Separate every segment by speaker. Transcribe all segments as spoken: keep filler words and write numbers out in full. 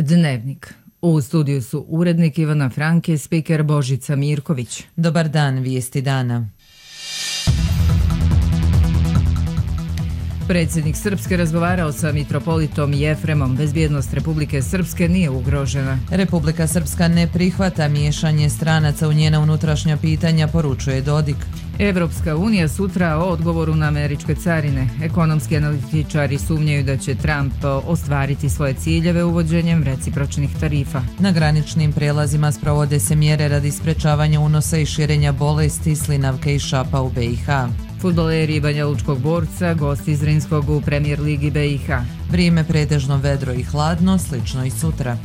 Speaker 1: Dnevnik. U studiju su urednik Ivana Franke, spiker Božica Mirković.
Speaker 2: Dobar dan, vijesti dana.
Speaker 1: Predsjednik Srpske razgovarao sa mitropolitom Jefremom. Bezbjednost Republike Srpske nije ugrožena.
Speaker 2: Republika Srpska ne prihvata miješanje stranaca u njena unutrašnja pitanja, poručuje Dodik.
Speaker 1: Evropska unija sutra o odgovoru na američke carine. Ekonomski analitičari sumnjaju da će Trump ostvariti svoje ciljeve uvođenjem recipročnih tarifa.
Speaker 2: Na graničnim prijelazima sprovode se mjere radi sprečavanja unosa i širenja bolesti, slinavke i šapa u B i H.
Speaker 1: Fudbaleri Banja Lučkog Borca, gosti iz Zrinskog u Premijer ligi B i H.
Speaker 2: Vrijeme pretežno vedro i hladno, slično i sutra.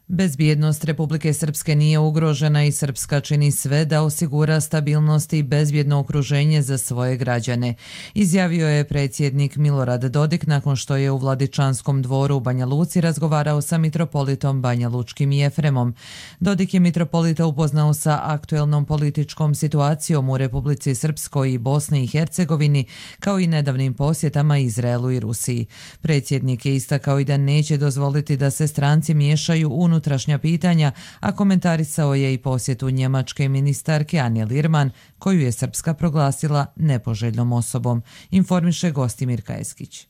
Speaker 2: Bezbjednost Republike Srpske nije ugrožena i Srpska čini sve da osigura stabilnost i bezbjedno okruženje za svoje građane, izjavio je predsjednik Milorad Dodik nakon što je u Vladičanskom dvoru u Banja Luci razgovarao sa mitropolitom Banja Lučkim Jefremom. Dodik je mitropolita upoznao sa aktuelnom političkom situacijom u Republici Srpskoj i Bosni i Hercegovini, kao i nedavnim posjetama Izraelu i Rusiji. Predsjednik je istakao i da neće dozvoliti da se stranci miješaju u unutrašnja pitanja, a komentarisao je i posjetu njemačke ministarke Ane Lirman, koju je Srpska proglasila nepoželjnom osobom, informiše Gostimir Kajeskić.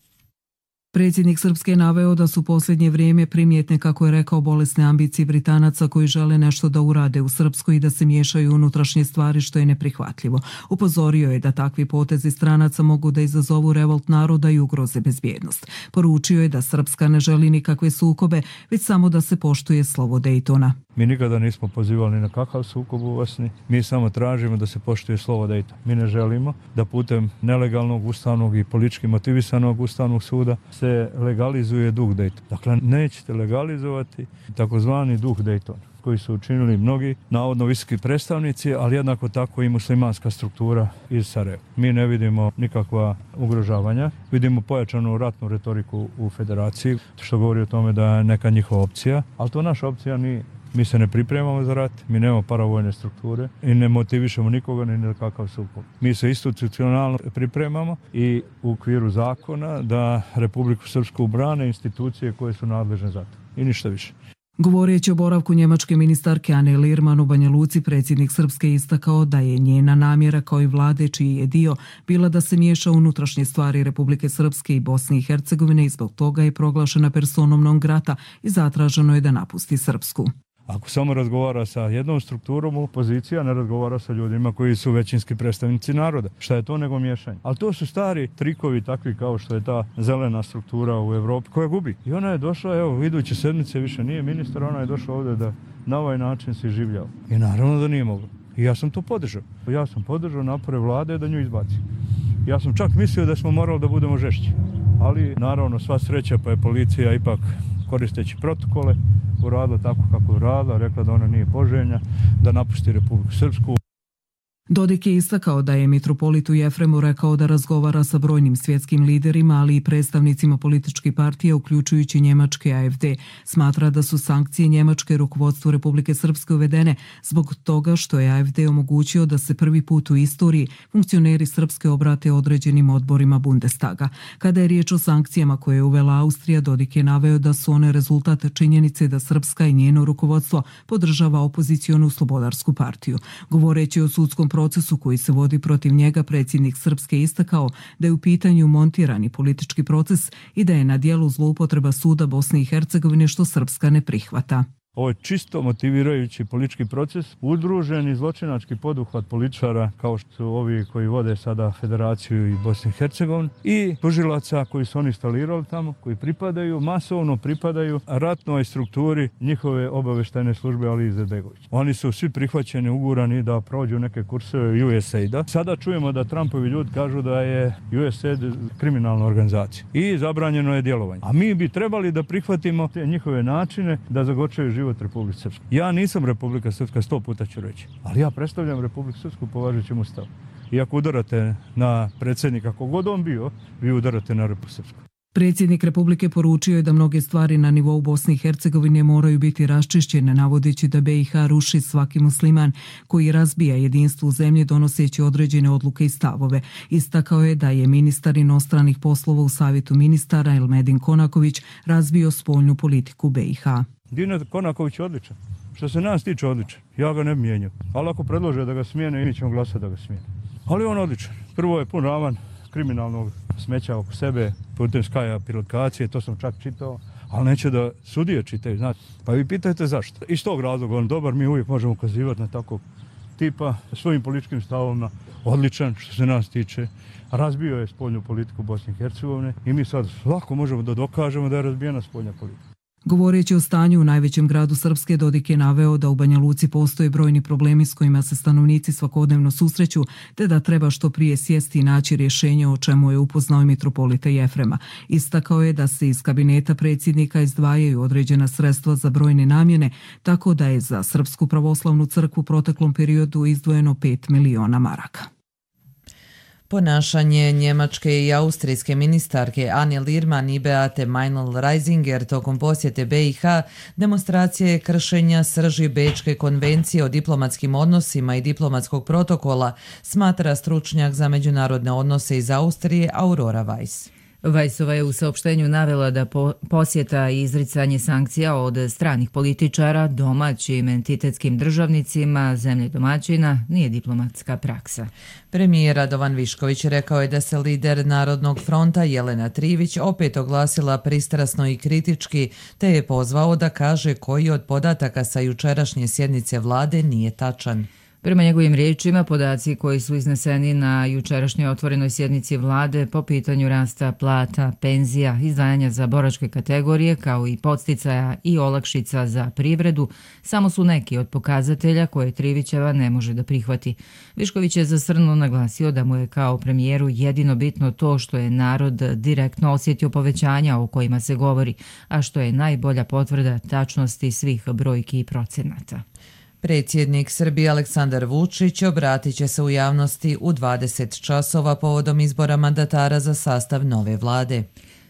Speaker 3: Predsjednik Srpske je naveo da su posljednje vrijeme primjetne, kako je rekao, bolesne ambicije Britanaca koji žele nešto da urade u Srpskoj i da se miješaju u unutrašnje stvari, što je neprihvatljivo. Upozorio je da takvi potezi stranaca mogu da izazovu revolt naroda i ugroze bezbjednost. Poručio je da Srpska ne želi nikakve sukobe, već samo da se poštuje slovo Dejtona.
Speaker 4: Mi nikada nismo pozivali na kakav sukob u Bosni, mi samo tražimo da se poštuje slovo Dejtona. Mi ne želimo da putem nelegalnog ustavnog i politički motivisanog ustavnog suda se legalizuje duh Dejtona. Dakle, nećete legalizovati takozvani duh Dejtona, koji su učinili mnogi navodno visoki predstavnici, ali jednako tako i muslimanska struktura iz Sarajeva. Mi ne vidimo nikakva ugrožavanja, vidimo pojačanu ratnu retoriku u federaciji, što govori o tome da je neka njihova opcija, ali to naša opcija nije. Mi se ne pripremamo za rat, mi nemamo paravojne strukture i ne motivišemo nikoga ni na kakav sukob. Mi se institucionalno pripremamo i u okviru zakona da Republiku Srpsku brane institucije koje su nadležne za to. I ništa više.
Speaker 3: Govoreći o boravku njemačke ministarke Ane Lirman u Banja Luci, predsjednik Srpske istakao da je njena namjera, kao i vlade čiji je dio, bila da se miješa u unutrašnje stvari Republike Srpske i Bosne i Hercegovine i zbog toga je proglašena personom non grata i zatraženo je da napusti Srpsku.
Speaker 4: Ako samo razgovara sa jednom strukturom opozicija, ne razgovara sa ljudima koji su većinski predstavnici naroda. Šta je to nego miješanje? Ali to su stari trikovi, takvi kao što je ta zelena struktura u Evropi koja gubi. I ona je došla, evo, iduće sedmice više nije ministar, ona je došla ovdje da na ovaj način se življava. I naravno da nije mogla. I ja sam to podržao. Ja sam podržao napore vlade da nju izbaci. Ja sam čak mislio da smo morali da budemo žešći. Ali naravno sva sreća, pa je policija ipak koristeći protokole uradila tako kako je uradila, rekla da ona nije poželjna, da napusti Republiku Srpsku.
Speaker 3: Dodik je istakao da je mitropolitu Jefremu rekao da razgovara sa brojnim svjetskim liderima, ali i predstavnicima političkih partija, uključujući njemačke A F D. Smatra da su sankcije njemačke rukovodstvu Republike Srpske uvedene zbog toga što je A F D omogućio da se prvi put u istoriji funkcioneri Srpske obrate određenim odborima Bundestaga. Kada je riječ o sankcijama koje je uvela Austrija, Dodik je naveo da su one rezultat činjenice da Srpska i njeno rukovodstvo podržava opozicionu slobodarsku partiju. Govoreći o sudskom procesu koji se vodi protiv njega, predsjednik Srpske istakao da je u pitanju montirani politički proces i da je na dijelu zloupotreba suda Bosne i Hercegovine, što Srpska ne prihvata.
Speaker 4: Ovo je čisto motivirajući politički proces, udruženi zločinački poduhvat političara kao što su ovi koji vode sada Federaciju i Bosnu i Hercegovinu i tužilaca koji su oni instalirali tamo, koji pripadaju, masovno pripadaju ratnoj strukturi njihove obavještajne službe Ali Izetbegović. Oni su svi prihvaćeni, ugurani da prođu neke kurseve U S A I D-a. Sada čujemo da Trumpovi ljudi kažu da je U S A I D kriminalna organizacija i zabranjeno je djelovanje. A mi bi trebali da prihvatimo te njihove načine da zagočaju život Republike Srpske. Ja nisam Republika Srpska, sto puta ću reći, ali ja predstavljam Republiku Srpsku po važećem ustavu. I ako udarate na predsjednika, kogod on bio, vi udarate na Republiku Srpsku.
Speaker 3: Predsjednik Republike poručio je da mnoge stvari na nivou Bosne i Hercegovine moraju biti raščišćene, navodeći da be i ha ruši svaki musliman koji razbija jedinstvo u zemlji donoseći određene odluke i stavove. Istakao je da je ministar inostranih poslova u Savjetu ministara Elmedin Konaković razbio spoljnu politiku be i ha.
Speaker 4: Dinat Konaković je odličan. Što se nas tiče odličan. Ja ga ne bi mijenjao. Ali ako predlože da ga smijene, mi ćemo glasati da ga smijene. Ali on odličan. Prvo je pun ravan kriminalnog smeća oko sebe, putem Sky aplikacije, to sam čak čitao, ali neće da sudije čitaju, znate. Pa vi pitajte zašto. Iz tog razloga on dobar, mi uvijek možemo ukazivati na takvog tipa, svojim političkim stavovima, odličan što se nas tiče. Razbio je spoljnu politiku Bosne i Hercegovine i mi sad lako možemo da dokažemo da je razbijena spoljna politika.
Speaker 3: Govoreći o stanju u najvećem gradu Srpske, Dodik je naveo da u Banja Luci postoje brojni problemi s kojima se stanovnici svakodnevno susreću, te da treba što prije sjesti i naći rješenje, o čemu je upoznao i mitropolita Jefrema. Istakao je da se iz kabineta predsjednika izdvajaju određena sredstva za brojne namjene, tako da je za Srpsku pravoslavnu crkvu u proteklom periodu izdvojeno pet miliona maraka.
Speaker 2: Ponašanje njemačke i austrijske ministarke Anne Lirman i Beate Meinl-Reisinger tokom posjete be i ha demonstracije kršenja srži Bečke konvencije o diplomatskim odnosima i diplomatskog protokola, smatra stručnjak za međunarodne odnose iz Austrije Aurora Weiss.
Speaker 1: Weissova je u saopštenju navela da po, posjeta i izricanje sankcija od stranih političara domaćim entitetskim državnicima zemlje domaćina nije diplomatska praksa.
Speaker 2: Premijer Radovan Višković rekao je da se lider Narodnog fronta Jelena Trivić opet oglasila pristrasno i kritički, te je pozvao da kaže koji od podataka sa jučerašnje sjednice vlade nije tačan.
Speaker 1: Prema njegovim riječima, podaci koji su izneseni na jučerašnjoj otvorenoj sjednici vlade po pitanju rasta plata, penzija, izdvajanja za boračke kategorije, kao i podsticaja i olakšica za privredu, samo su neki od pokazatelja koje Trivićeva ne može da prihvati. Višković je zasrnuo naglasio da mu je kao premijeru jedino bitno to što je narod direktno osjetio povećanja o kojima se govori, a što je najbolja potvrda tačnosti svih brojki i procenata.
Speaker 2: Predsjednik Srbije Aleksandar Vučić obratit će se u javnosti u dvadeset časova povodom izbora mandatara za sastav nove vlade.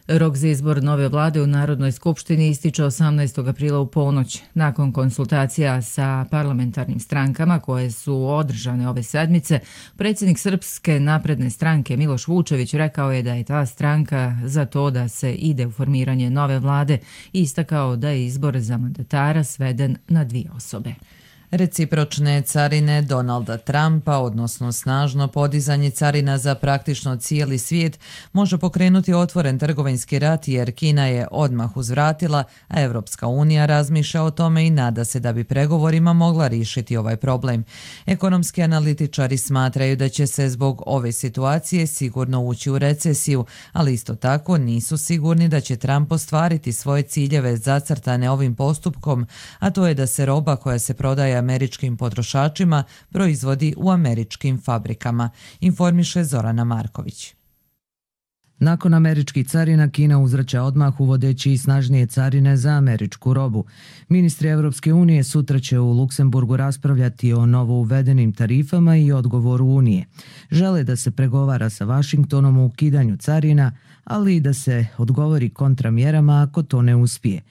Speaker 1: Rok za izbor nove vlade u Narodnoj skupštini ističe osamnaestog aprila u ponoć. Nakon konsultacija sa parlamentarnim strankama koje su održane ove sedmice, predsjednik Srpske napredne stranke Miloš Vučević rekao je da je ta stranka za to da se ide u formiranje nove vlade i istakao da je izbor za mandatara sveden na dvije osobe.
Speaker 2: Recipročne carine Donalda Trumpa, odnosno snažno podizanje carina za praktično cijeli svijet, može pokrenuti otvoren trgovinski rat jer Kina je odmah uzvratila, a Evropska unija razmišlja o tome i nada se da bi pregovorima mogla riješiti ovaj problem. Ekonomski analitičari smatraju da će se zbog ove situacije sigurno ući u recesiju, ali isto tako nisu sigurni da će Trump ostvariti svoje ciljeve zacrtane ovim postupkom, a to je da se roba koja se prodaje američkim potrošačima proizvodi u američkim fabrikama, informiše Zorana Marković.
Speaker 5: Nakon američkih carina, Kina uzvraća odmah uvodeći i snažnije carine za američku robu. Ministri Evropske unije sutra će u Luksemburgu raspravljati o novo uvedenim tarifama i odgovoru Unije. Žele da se pregovara sa Vašingtonom o ukidanju carina, ali i da se odgovori kontramjerama ako to ne uspije.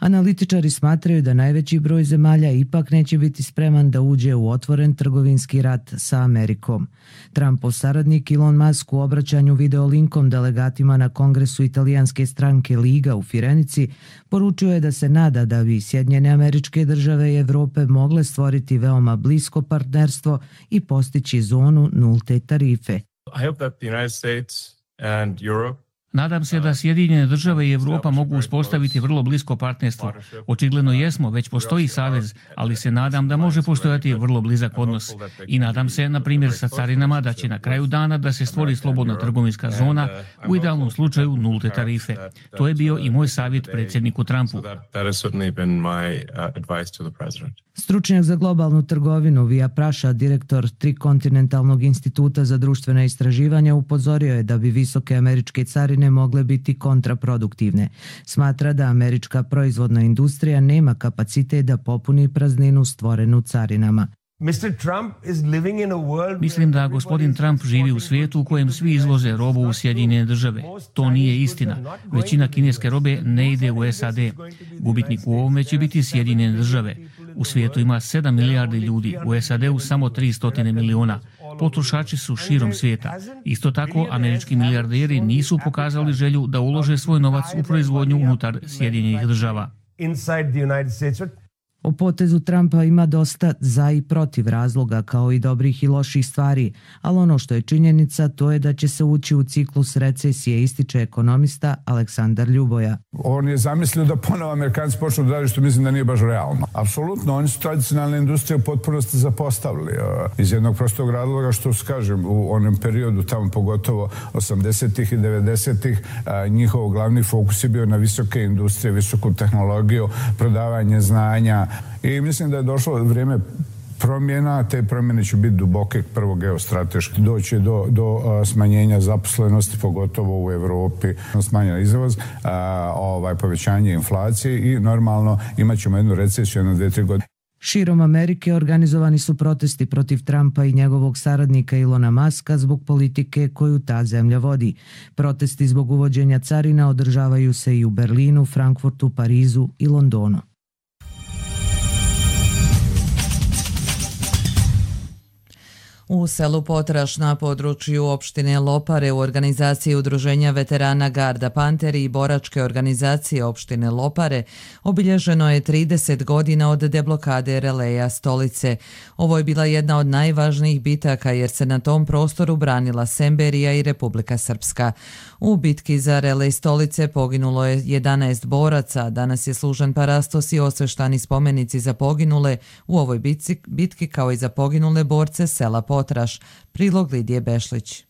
Speaker 5: Analitičari smatraju da najveći broj zemalja ipak neće biti spreman da uđe u otvoren trgovinski rat sa Amerikom. Trumpov saradnik Elon Musk u obraćanju videolinkom delegatima na kongresu italijanske stranke Liga u Firenici poručio je da se nada da bi Sjedinjene Američke Države i Evrope mogle stvoriti veoma blisko partnerstvo i postići zonu nulte tarife.
Speaker 6: I hope that the United States and Europe
Speaker 7: Nadam se da Sjedinjene države i Evropa mogu uspostaviti vrlo blisko partnerstvo. Očigledno jesmo, već postoji savez, ali se nadam da može postojati vrlo blizak odnos. I nadam se, na primjer, sa carinama da će na kraju dana da se stvori slobodna trgovinska zona, u idealnom slučaju nulte tarife. To je bio i moj savjet predsjedniku Trumpu.
Speaker 5: Stručnjak za globalnu trgovinu Vija Praša, direktor Trikontinentalnog instituta za društvena istraživanja, upozorio je da bi visoke američke carine mogle biti kontraproduktivne. Smatra da američka proizvodna industrija nema kapacitet da popuni prazninu stvorenu carinama.
Speaker 7: Mislim da gospodin Trump živi u svijetu u kojem svi izvoze robu u Sjedinjene države. To nije istina. Većina kineske robe ne ide u S A D. Gubitnik u ovome će biti Sjedinjene države. U svijetu ima sedam milijardi ljudi, u S A D-u samo tristo miliona. Potrošači su širom svijeta. Isto tako, američki milijarderi nisu pokazali želju da ulože svoj novac u proizvodnju unutar Sjedinjenih država.
Speaker 5: O potezu Trumpa ima dosta za i protiv razloga, kao i dobrih i loših stvari, ali ono što je činjenica to je da će se ući u ciklus recesije, ističe ekonomista Aleksandar Ljuboja.
Speaker 8: On je zamislio da ponovo Amerikanci počnu da radi, što mislim da nije baš realno. Apsolutno, oni su tradicionalne industrije u potpunosti zapostavili. Iz jednog prostog razloga što, kažem, u onom periodu, tamo pogotovo osamdesetih i devedesetih, njihov glavni fokus je bio na visoke industrije, visoku tehnologiju, prodavanje znanja. I mislim da je došlo vrijeme promjena, te promjene će biti duboke, prvo geostrateški, doći do, do smanjenja zaposlenosti, pogotovo u Europi, smanjena izvoz, a, ovaj, povećanje inflacije i normalno imat ćemo jednu recesiju jedno, dve, tri godine.
Speaker 5: Širom Amerike organizovani su protesti protiv Trumpa i njegovog saradnika Ilona Muska zbog politike koju ta zemlja vodi. Protesti zbog uvođenja carina održavaju se i u Berlinu, Frankfurtu, Parizu i Londonu.
Speaker 2: U selu Potraš na području opštine Lopare u organizaciji Udruženja veterana Garda Panteri i boračke organizacije opštine Lopare obilježeno je trideset godina od deblokade releja stolice. Ovo je bila jedna od najvažnijih bitaka jer se na tom prostoru branila Semberija i Republika Srpska. U bitki za relej stolice poginulo je jedanaest boraca, danas je služen parastos i osveštani spomenici za poginule u ovoj bitci, bitki kao i za poginule borce sela Potraš. Prilog Lidije Bešlić.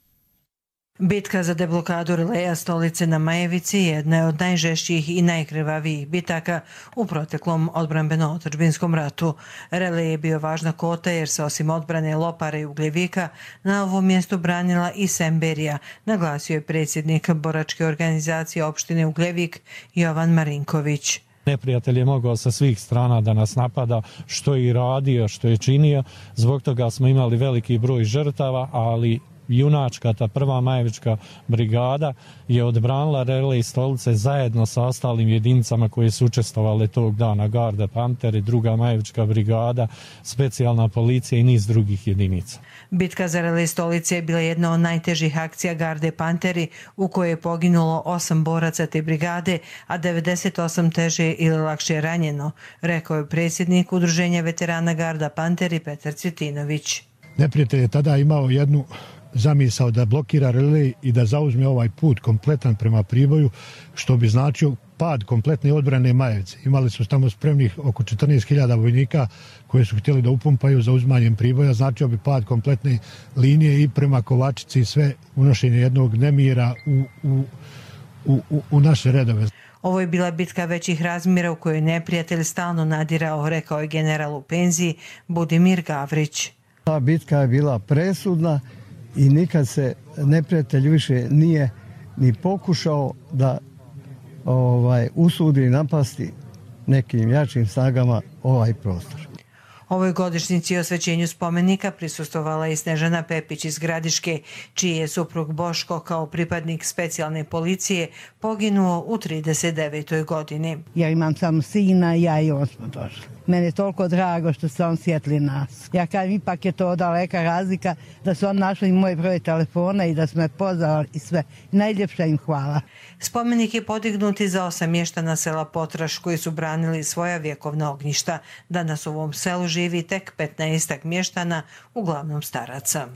Speaker 9: Bitka za deblokadu releja stolice na Majevici jedna je od najžešćih i najkrvavijih bitaka u proteklom odbrambeno-otadžbinskom ratu. Relej je bio važna kota jer se osim odbrane Lopare i Ugljevika na ovom mjestu branila i Semberija, naglasio je predsjednik boračke organizacije opštine Ugljevik Jovan Marinković.
Speaker 10: Neprijatelj je mogao sa svih strana da nas napada, što je i radio, što je činio. Zbog toga smo imali veliki broj žrtava, ali junačka, ta prva Majevička brigada je odbranila relej stolice zajedno sa ostalim jedinicama koje su učestvovale tog dana, Garda Panteri, druga Majevička brigada, specijalna policija i niz drugih jedinica.
Speaker 9: Bitka za relej stolice je bila jedna od najtežih akcija Garde Panteri u kojoj je poginulo osam boraca te brigade, a devedeset osam teže ili lakše ranjeno, rekao je predsjednik Udruženja veterana Garda Panteri Petar Cvjetinović.
Speaker 11: Neprijatelj je tada imao jednu zamisao da blokira relej i da zauzme ovaj put kompletan prema Priboju, što bi značio pad kompletne odbrane Majevice. Imali su tamo spremnih oko četrnaest hiljada vojnika koje su htjeli da upumpaju za uzmanjem Priboja, značio bi pad kompletne linije i prema Kovačici i sve unošenje jednog nemira u, u, u, u naše redove.
Speaker 9: Ovo je bila bitka većih razmjera u kojoj neprijatelj stalno nadirao, rekao je general u penziji Budimir Gavrić.
Speaker 12: Ta bitka je bila presudna i nikad se neprijatelj više nije ni pokušao da ovaj, usudi napasti nekim jačim snagama ovaj prostor.
Speaker 9: Ovoj godišnjici osvećenju spomenika prisustvovala i Snežana Pepić iz Gradiške, čiji je suprug Boško kao pripadnik specijalne policije poginuo u trideset devetoj godini.
Speaker 13: Ja imam samo sina i ja i on smo došli. Meni je toliko drago što se on sjetli nas. Ja kažem, ipak je to daleka razlika da su on našli moj broj telefona i da su me pozvali i sve. Najljepša im hvala.
Speaker 9: Spomenik je podignut i za osam mještana sela Potraš koji su branili svoja vjekovna ognjišta. Danas u ovom selu živi tek petnaestak mještana, uglavnom staraca.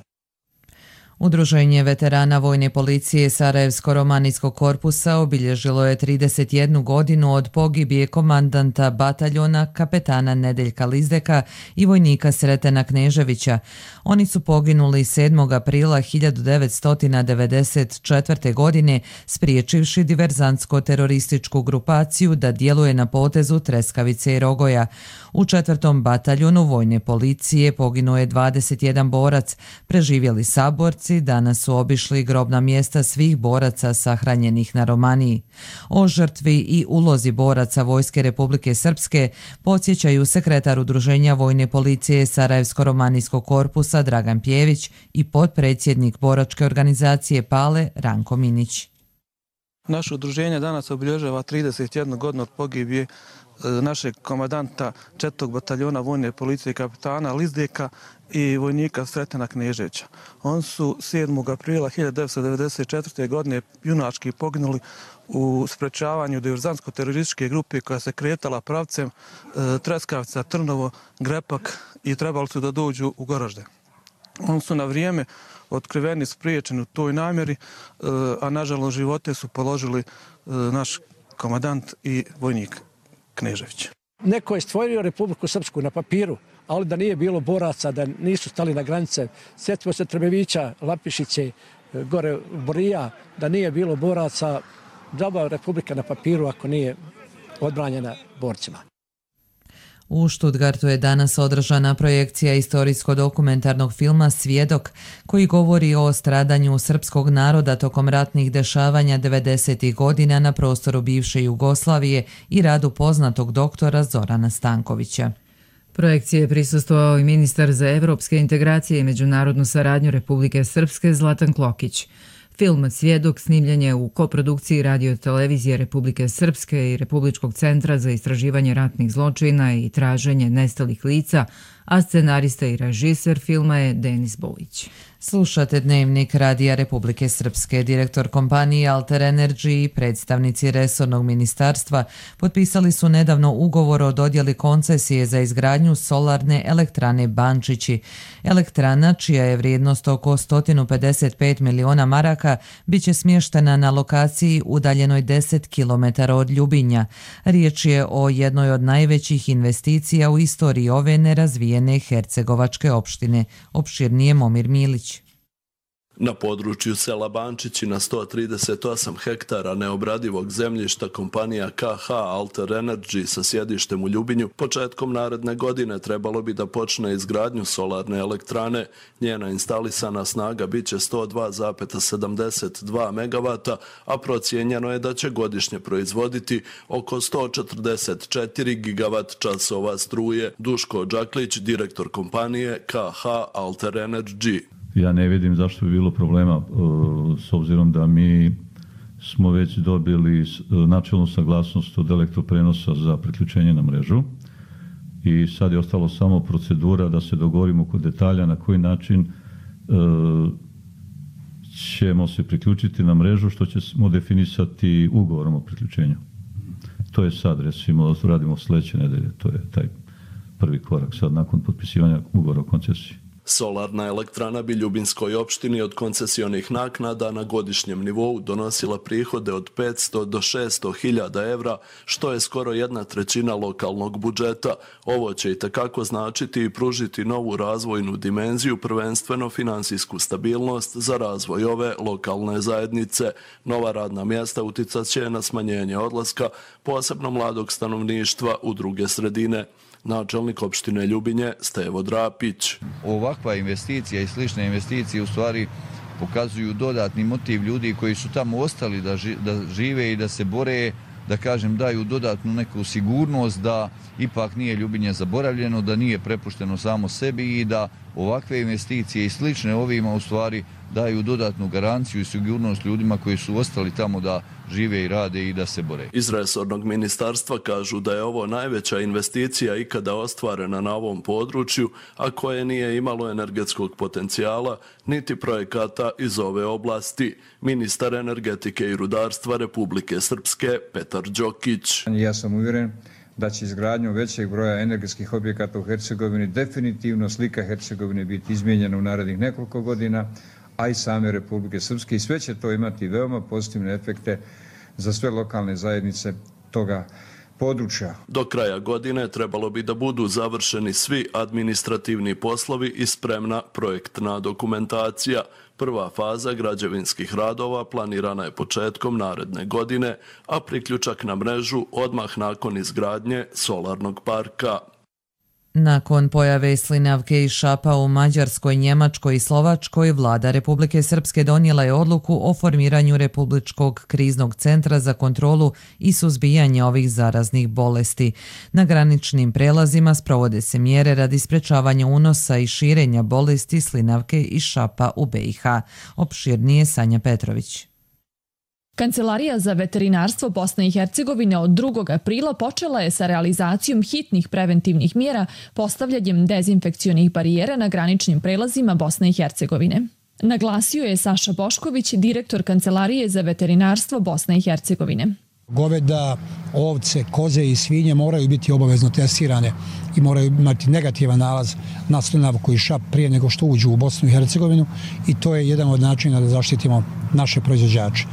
Speaker 2: Udruženje veterana vojne policije Sarajevsko-romanijskog korpusa obilježilo je trideset jednu godinu od pogibije komandanta bataljona kapetana Nedeljka Lizdeka i vojnika Sretena Kneževića. Oni su poginuli sedmog aprila hiljadu devetsto devedeset četvrte. godine spriječivši diverzantsko-terorističku grupaciju da djeluje na potezu Treskavice i Rogoja. U četvrtom bataljonu vojne policije poginuo je dvadeset jedan borac, preživjeli saborci borci danas su obišli grobna mjesta svih boraca sahranjenih na Romaniji. O žrtvi i ulozi boraca Vojske Republike Srpske podsjećaju sekretar Udruženja Vojne policije Sarajevsko-romanijskog korpusa Dragan Pjević i potpredsjednik boračke organizacije Pale Ranko Minić.
Speaker 14: Naše udruženje danas obilježava trideset jednu godinu od pogibije našeg komadanta četvrtog bataljona Vojne policije kapitana Lizdeka i vojnika Sretena Kneževića. On su sedmog aprila hiljadu devetsto devedeset četvrte. godine junački poginuli u sprečavanju diverzantsko-terorističke grupe koja se kretala pravcem Treskavica, Trnovo, Grepak i trebali su da dođu u Goražde. Oni su na vrijeme otkriveni, spriječeni u toj namjeri, a nažalost živote su položili naš komadant i vojnik Knežević.
Speaker 15: Neko je stvorio Republiku Srpsku na papiru, ali da nije bilo boraca, da nisu stali na granice. Sjetimo se Trebevića, Lapišiće, gore Borija, da nije bilo boraca, džaba Republika na papiru ako nije odbranjena borcima.
Speaker 2: U Stuttgartu je danas održana projekcija istorijsko-dokumentarnog filma Svjedok, koji govori o stradanju srpskog naroda tokom ratnih dešavanja devedesetih godina na prostoru bivše Jugoslavije i radu poznatog doktora Zorana Stankovića.
Speaker 1: Projekcije je prisustvovao i ministar za evropske integracije i međunarodnu saradnju Republike Srpske Zlatan Klokić. Film Svjedok snimljen je u koprodukciji Radio televizije Republike Srpske i Republičkog centra za istraživanje ratnih zločina i traženje nestalih lica, a scenarista i režiser filma je Denis Bojić.
Speaker 2: Slušate Dnevnik Radija Republike Srpske. Direktor kompanije Alter Energy i predstavnici resornog ministarstva potpisali su nedavno ugovor o dodjeli koncesije za izgradnju solarne elektrane Bančići. Elektrana, čija je vrijednost oko sto pedeset pet miliona maraka, bit će smještena na lokaciji udaljenoj deset kilometara od Ljubinja. Riječ je o jednoj od najvećih investicija u istoriji ove nerazvijene hercegovačke opštine. Opširnije Momir Milić.
Speaker 16: Na području sela Bančići na sto trideset osam hektara neobradivog zemljišta kompanija K H Alter Energy sa sjedištem u Ljubinju početkom naredne godine trebalo bi da počne izgradnju solarne elektrane. Njena instalisana snaga bit će sto dva zarez sedamdeset dva megavata, a procijenjeno je da će godišnje proizvoditi oko sto četrdeset četiri gigavat časova struje. Duško Đaklić, direktor kompanije K H Alter Energy.
Speaker 17: Ja ne vidim zašto bi bilo problema, s obzirom da mi smo već dobili načelnu saglasnost od elektroprenosa za priključenje na mrežu i sad je ostalo samo procedura da se dogovorimo kod detalja na koji način ćemo se priključiti na mrežu, što ćemo definisati ugovorom o priključenju. To je sad, recimo, radimo sljedeće nedelje, to je taj prvi korak sad nakon potpisivanja ugovora o koncesiji.
Speaker 16: Solarna elektrana bi Ljubinskoj opštini od koncesionih naknada na godišnjem nivou donosila prihode od petsto do šesto hiljada evra, što je skoro jedna trećina lokalnog budžeta. Ovo će i tekako značiti i pružiti novu razvojnu dimenziju, prvenstveno finansijsku stabilnost za razvoj ove lokalne zajednice. Nova radna mjesta uticat će na smanjenje odlaska, posebno mladog stanovništva u druge sredine. Načelnik opštine Ljubinje Stevo Drapić.
Speaker 18: Ovakva investicija i slične investicije u stvari pokazuju dodatni motiv ljudi koji su tamo ostali da, ži, da žive i da se bore, da kažem daju dodatnu neku sigurnost da ipak nije Ljubinje zaboravljeno, da nije prepušteno samo sebi i da ovakve investicije i slične ovima u stvari daju dodatnu garanciju i sigurnost ljudima koji su ostali tamo da žive i rade i da se bore.
Speaker 16: Iz resornog ministarstva kažu da je ovo najveća investicija ikada ostvarena na ovom području, a koje nije imalo energetskog potencijala niti projekata iz ove oblasti. Ministar energetike i rudarstva Republike Srpske Petar Đokić.
Speaker 19: Ja sam uvjeren da će izgradnjom većeg broja energetskih objekata u Hercegovini definitivno slika Hercegovine biti izmijenjena u narednih nekoliko godina, a i same Republike Srpske, i sve će to imati veoma pozitivne efekte za sve lokalne zajednice toga područja.
Speaker 16: Do kraja godine trebalo bi da budu završeni svi administrativni poslovi i spremna projektna dokumentacija. Prva faza građevinskih radova planirana je početkom naredne godine, a priključak na mrežu odmah nakon izgradnje solarnog parka.
Speaker 2: Nakon pojave slinavke i šapa u Mađarskoj, Njemačkoj i Slovačkoj, vlada Republike Srpske donijela je odluku o formiranju Republičkog kriznog centra za kontrolu i suzbijanje ovih zaraznih bolesti. Na graničnim prelazima sprovode se mjere radi sprečavanja unosa i širenja bolesti slinavke i šapa u B i H. Opširnije Sanja Petrović.
Speaker 20: Kancelarija za veterinarstvo Bosne i Hercegovine od drugog aprila počela je sa realizacijom hitnih preventivnih mjera postavljanjem dezinfekcionih barijera na graničnim prelazima Bosne i Hercegovine. Naglasio je Saša Bošković, direktor Kancelarije za veterinarstvo Bosne i Hercegovine.
Speaker 21: Goveda, ovce, koze i svinje moraju biti obavezno testirane i moraju imati negativan nalaz na slinavku i šap prije nego što uđu u Bosnu i Hercegovinu i to je jedan od načina da zaštitimo naše proizvođače.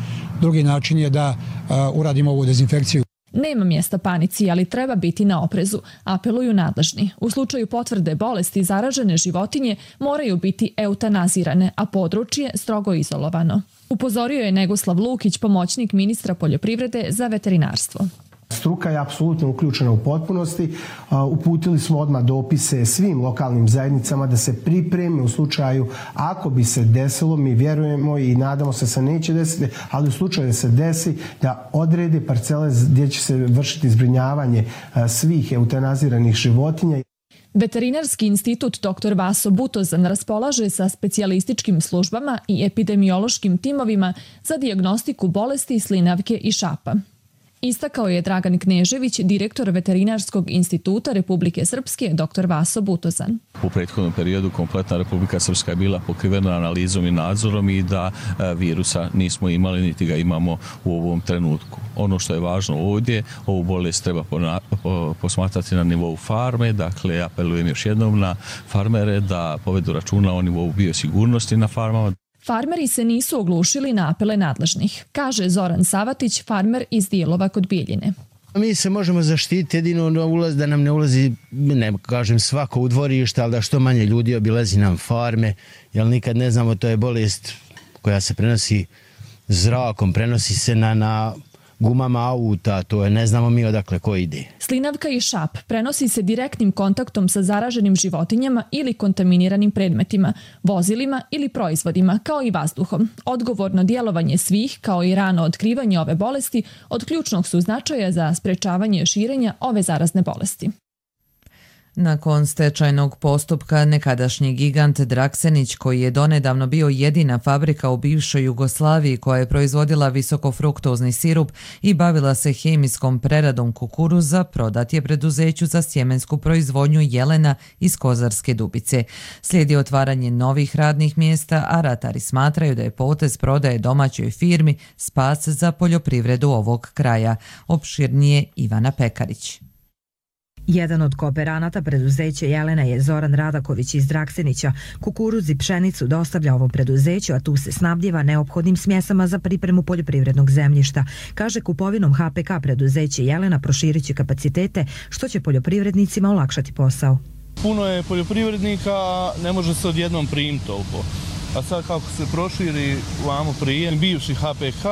Speaker 21: Drugi način je da uh, uradimo ovu dezinfekciju.
Speaker 20: Nema mjesta panici, ali treba biti na oprezu, apeluju nadležni. U slučaju potvrde bolesti zaražene životinje moraju biti eutanazirane, a područje strogo izolovano. Upozorio je Negoslav Lukić, pomoćnik ministra poljoprivrede za veterinarstvo.
Speaker 22: Struka je apsolutno uključena u potpunosti. Uputili smo odmah dopise svim lokalnim zajednicama da se pripreme u slučaju ako bi se desilo, mi vjerujemo i nadamo se da se neće desiti, ali u slučaju da se desi da odrede parcele gdje će se vršiti zbrinjavanje svih eutanaziranih životinja.
Speaker 20: Veterinarski institut doktor Vaso Butozan raspolaže sa specijalističkim službama i epidemiološkim timovima za dijagnostiku bolesti slinavke i šapa. Istakao je Dragan Knežević, direktor Veterinarskog instituta Republike Srpske, doktor Vaso Butozan.
Speaker 23: U prethodnom periodu kompletna Republika Srpska je bila pokrivena analizom i nadzorom i da virusa nismo imali niti ga imamo u ovom trenutku. Ono što je važno ovdje, ovu bolest treba posmatrati na nivou farme, dakle apelujem još jednom na farmere da povedu računa o nivou biosigurnosti na farmama.
Speaker 20: Farmeri se nisu oglušili na apele nadležnih, kaže Zoran Savatić, farmer iz Dijelova kod Bijeljine.
Speaker 24: Mi se možemo zaštiti jedino na ulaz, da nam ne ulazi, ne kažem svako u dvorište, ali da što manje ljudi obilazi nam farme, jer nikad ne znamo, to je bolest koja se prenosi zrakom, prenosi se na, na gumama auta, to je ne znamo mi odakle ko ide.
Speaker 20: Slinavka i šap prenosi se direktnim kontaktom sa zaraženim životinjama ili kontaminiranim predmetima, vozilima ili proizvodima, kao i vazduhom. Odgovorno djelovanje svih, kao i rano otkrivanje ove bolesti, od ključnog su značaja za sprečavanje širenja ove zarazne bolesti.
Speaker 2: Nakon stečajnog postupka, nekadašnji gigant Draksenić, koji je donedavno bio jedina fabrika u bivšoj Jugoslaviji koja je proizvodila visokofruktozni sirup i bavila se hemijskom preradom kukuruza, prodat je preduzeću za sjemensku proizvodnju Jelena iz Kozarske Dubice. Slijedi otvaranje novih radnih mjesta, a ratari smatraju da je potez prodaje domaćoj firmi spas za poljoprivredu ovog kraja. Opširnije Ivana Pekarić.
Speaker 25: Jedan od kooperanata preduzeća Jelena je Zoran Radaković iz Draksenića. Kukuruz i pšenicu dostavlja ovom preduzeću, a tu se snabdjeva neophodnim smjesama za pripremu poljoprivrednog zemljišta. Kaže, kupovinom H P K preduzeće Jelena proširit će kapacitete, što će poljoprivrednicima olakšati posao.
Speaker 26: Puno je poljoprivrednika, ne može se odjednom primiti toliko. A sad kako se proširi vamo prijem bivši H P K,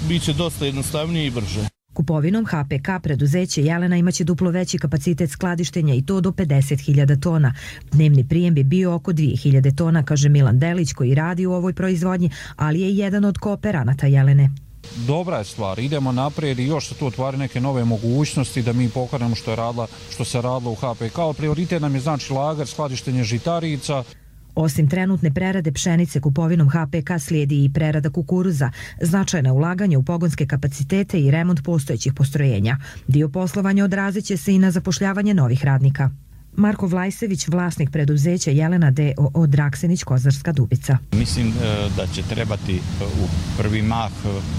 Speaker 26: bit će dosta jednostavnije i brže.
Speaker 25: Kupovinom H P K preduzeće Jelena imaće duplo veći kapacitet skladištenja i to do pedeset hiljada tona. Dnevni prijem bi bio oko dvije hiljade tona, kaže Milan Delić, koji radi u ovoj proizvodnji, ali je jedan od kooperanata Jelene.
Speaker 27: Dobra je stvar, idemo naprijed i još se tu otvari neke nove mogućnosti da mi pokrenemo što je radila, što se radilo u H P K. Prioritet nam je znači lagar, skladištenje žitarica.
Speaker 25: Osim trenutne prerade pšenice, kupovinom H P K slijedi i prerada kukuruza, značajna ulaganja u pogonske kapacitete i remont postojećih postrojenja. Dio poslovanja odrazit će se i na zapošljavanje novih radnika. Marko Vlajsević, vlasnik preduzeća Jelena D O O Draksenić, Kozarska Dubica.
Speaker 28: Mislim da će trebati u prvi mah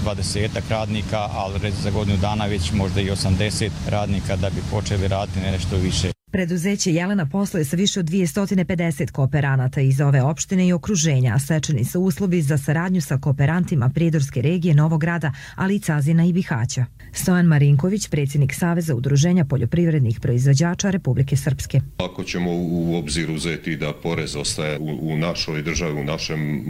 Speaker 28: dvadesetak radnika, ali za godinu dana već možda i osamdeset radnika da bi počeli raditi nešto više.
Speaker 25: Preduzeće Jelena posluje sa više od dvjesto pedeset kooperanata iz ove opštine i okruženja, a stečeni su uslovi za saradnju sa kooperantima Prijedorske regije, Novog Grada, ali i Cazina i Bihaća. Stojan Marinković, predsjednik Saveza udruženja poljoprivrednih proizvođača Republike Srpske.
Speaker 29: Ako ćemo u obzir uzeti da porez ostaje u, u našoj državi, u našem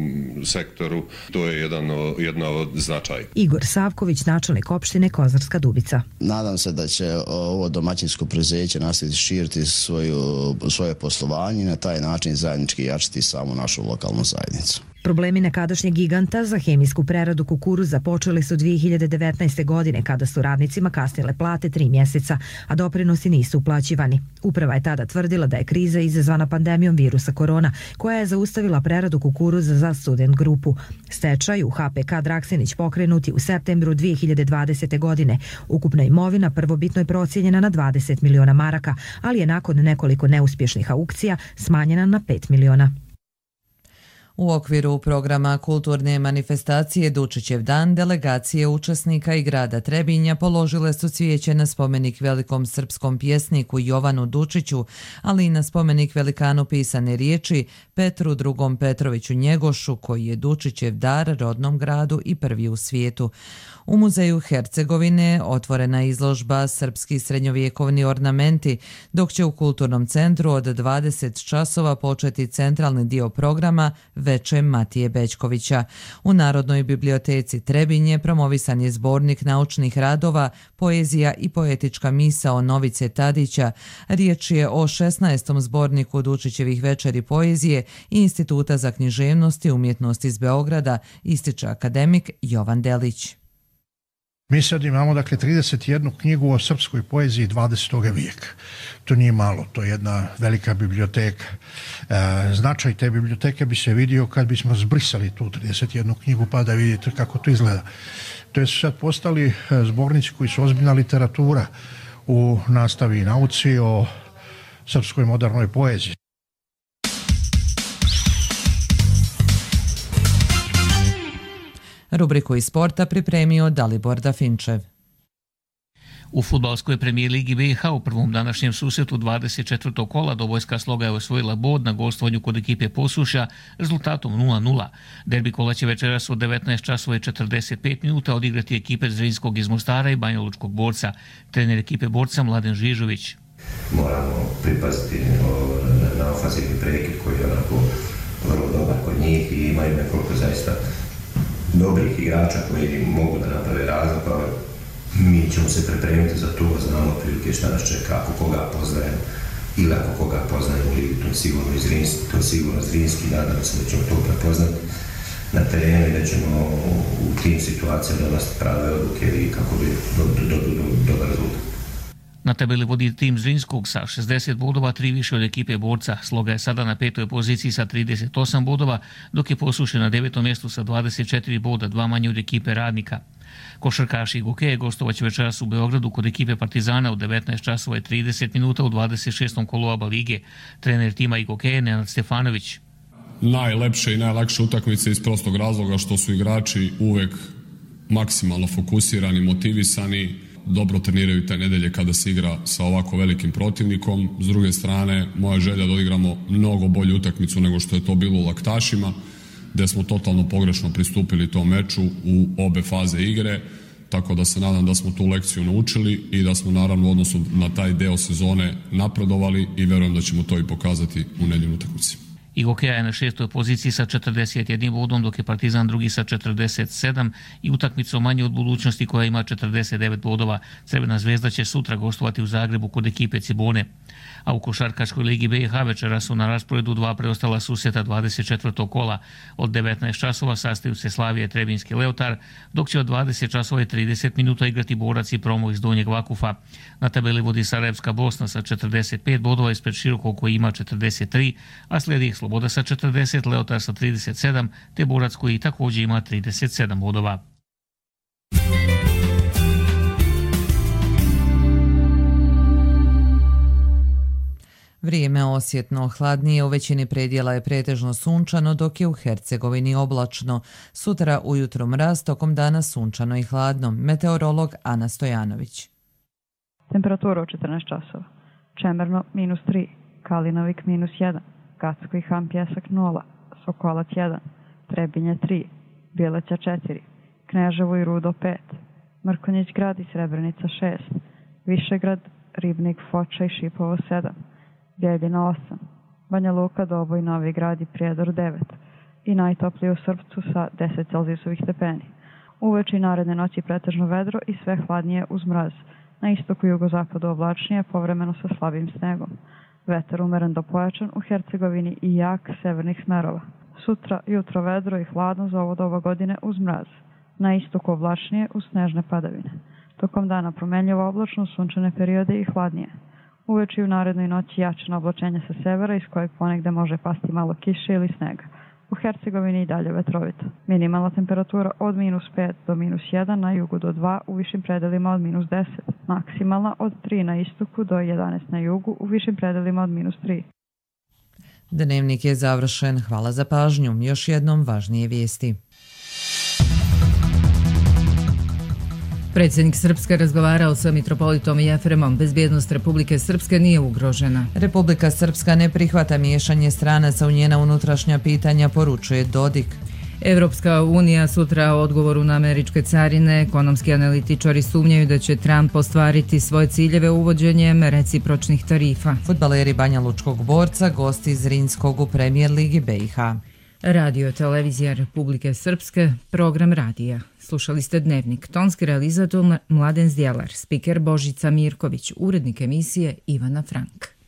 Speaker 29: sektoru, to je jedan, jedna od značaja.
Speaker 25: Igor Savković, načelnik opštine Kozarska Dubica.
Speaker 30: Nadam se da će ovo domaćinsko preduzeće nastaviti širiti
Speaker 3: razviti svoju, svoje poslovanje i na taj način zajednički jačiti samu našu lokalnu zajednicu.
Speaker 25: Problemi nekadašnjeg giganta za hemijsku preradu kukuruza počeli su dvije hiljade devetnaeste. godine kada su radnicima kasnile plate tri mjeseca, a doprinosi nisu uplaćivani. Uprava je tada tvrdila da je kriza izazvana pandemijom virusa korona, koja je zaustavila preradu kukuruza za Student grupu. Stečaj u H P K Draksenić pokrenut je u septembru dvije hiljade dvadesete. godine. Ukupna imovina prvobitno je procijenjena na dvadeset miliona maraka, ali je nakon nekoliko neuspješnih aukcija smanjena na pet miliona.
Speaker 2: U okviru programa kulturne manifestacije Dučićev dan delegacije učesnika i grada Trebinja položile su cvijeće na spomenik velikom srpskom pjesniku Jovanu Dučiću, ali i na spomenik velikanu pisane riječi Petru drugom Petroviću Njegošu, koji je Dučićev dar rodnom gradu i prvi u svijetu. U muzeju Hercegovine otvorena je izložba Srpski srednjovjekovni ornamenti, dok će u kulturnom centru od dvadeset časova početi centralni dio programa Veče Matije Bećkovića. U Narodnoj biblioteci Trebinje promovisan je zbornik naučnih radova, poezija i poetička misao Novice Tadića. Riječ je o šesnaestom zborniku Dučićevih večeri poezije i Instituta za književnost i umjetnost iz Beograda, ističe akademik Jovan Delić.
Speaker 4: Mi sad imamo dakle trideset jednu knjigu o srpskoj poeziji dvadesetog vijeka. To nije malo, to je jedna velika biblioteka. E, značaj te biblioteke bi se vidio kad bismo zbrisali tu trideset jednu knjigu pa da vidite kako to izgleda. To je sad postali zbornici koji su ozbiljna literatura u nastavi i nauci o srpskoj modernoj poeziji.
Speaker 2: Rubriku iz sporta pripremio Dalibor Dafinčev.
Speaker 5: U fudbalskoj premijer ligi B i H u prvom današnjem susretu dvadeset četvrtog kola Dobojska Sloga je osvojila bod na gostovanju kod ekipe Posušja rezultatom nula nula. Derbi kola će večeras od devetnaest časova i četrdeset pet minuta odigrati ekipe Zrinskog iz Mostara i Banjalučkog Borca. Trener ekipe Borca Mladen Žižović.
Speaker 6: Moramo pripaziti na ofenzivni prekid koji je onako vrlo dobar kod njih i imaju nekoliko zaista dobrih igrača koji mogu da naprave razlog, pa mi ćemo se pripremiti za to, znamo prilike šta nas čeka, ako koga poznajem ili ako koga poznajem u ligi, to je sigurno iz Zrinski, to je sigurno Zrinski, nadam se da ćemo to prepoznati na terenu i da ćemo u tim situacijama donositi prave odluke i kako bi dobili dobar rezultat.
Speaker 5: Na tabeli vodi tim Zrinskog sa šezdeset bodova, tri više od ekipe Borca. Sloga je sada na petoj poziciji sa trideset osam bodova, dok je Posušje na devetom mjestu sa dvadeset četiri boda, dva manje od ekipe Radnika. Košarkaši Gokeje gostovat večeras u Beogradu kod ekipe Partizana u devetnaest časova i trideset minuta u dvadeset šestom kolu ABA lige. Trener tima Gokeje Nenad Stefanović.
Speaker 7: Najlepše i najlakše utakmice iz prostog razloga što su igrači uvek maksimalno fokusirani, motivisani, dobro treniraju te nedelje kada se igra sa ovako velikim protivnikom. S druge strane, moja želja da odigramo mnogo bolju utakmicu nego što je to bilo u Laktašima, gdje smo totalno pogrešno pristupili tom meču u obe faze igre, tako da se nadam da smo tu lekciju naučili i da smo naravno u odnosu na taj deo sezone napredovali i verujem da ćemo to i pokazati u nedjeljnoj utakmici.
Speaker 5: I Gokeja je na šestoj poziciji sa četrdeset jednim bodom, dok je Partizan drugi sa četrdeset sedam i utakmicom manje od Budućnosti koja ima četrdeset devet bodova. Crvena zvezda će sutra gostovati u Zagrebu kod ekipe Cibone. A u košarkaškoj ligi B i H večera su na rasporedu dva preostala susreta dvadeset četvrtog kola. Od devetnaest časova sastaju se Slavija i Trebinjski Leotar, dok će od dvadeset časova i trideset minuta igrati Borac i Promo iz Donjeg Vakufa. Na tabeli vodi Sarajevska Bosna sa četrdeset pet bodova ispred Širokog koji ima četrdeset tri, a slijedi ih Sloboda sa četrdeset, Leotar sa trideset sedam, te Borac koji također ima trideset sedam bodova.
Speaker 2: Vrijeme osjetno hladnije, u većini predjela je pretežno sunčano, dok je u Hercegovini oblačno. Sutra ujutro mraz, tokom dana sunčano i hladno. Meteorolog Ana Stojanović.
Speaker 8: Temperatura u četrnaest časova. Čemerno minus tri, Kalinovik minus jedan, Gacko i Ham Pjesak nula, Sokolac jedan, Trebinje tri, Bjeleća četiri, Kneževo i Rudo pet, Mrkonjić grad i Srebrenica šest, Višegrad, Ribnik, Foča i Šipovo sedam, Bjeljina osam, Banja Luka, Doboj, Novi Grad i Prijedor devet i najtoplije u Srpcu sa deset celzijusovih stepeni. Uveče i naredne noći pretežno vedro i sve hladnije uz mraz. Na istoku i jugozapadu oblačnije, povremeno sa slabim snegom. Vetar umeren do pojačan u Hercegovini i jak severnih smerova. Sutra jutro vedro i hladno za ovo doba godine uz mraz. Na istoku oblačnije uz snežne padavine. Tokom dana promenljivo oblačno, sunčane periode i hladnije. Uveče i u narednoj noći jačano oblačenje sa severa iz kojeg ponegde može pasti malo kiše ili snega. U Hercegovini i dalje vetrovito. Minimalna temperatura od minus pet do minus jedan, na jugu do dva, u višim predelima od minus deset. Maksimalna od tri na istoku do jedanaest na jugu, u višim predelima od minus tri.
Speaker 2: Dnevnik je završen. Hvala za pažnju. Još jednom važnije vijesti.
Speaker 1: Predsjednik Srpske razgovarao sa mitropolitom Jefremom. Bezbjednost Republike Srpske nije ugrožena.
Speaker 2: Republika Srpska ne prihvata miješanje stranaca u njena unutrašnja pitanja, poručuje Dodik.
Speaker 1: Evropska unija sutra o odgovoru na američke carine. Ekonomski analitičari sumnjaju da će Trump ostvariti svoje ciljeve uvođenjem recipročnih tarifa.
Speaker 2: Fudbaleri Banja Lučkog Borca, gosti iz Rinskog u Premijer Ligi B i H.
Speaker 1: Radio Televizija Republike Srpske, program radija. Slušali ste Dnevnik, tonski realizator Mladen Zdjelar, spiker Božica Mirković, urednik emisije Ivana Frank.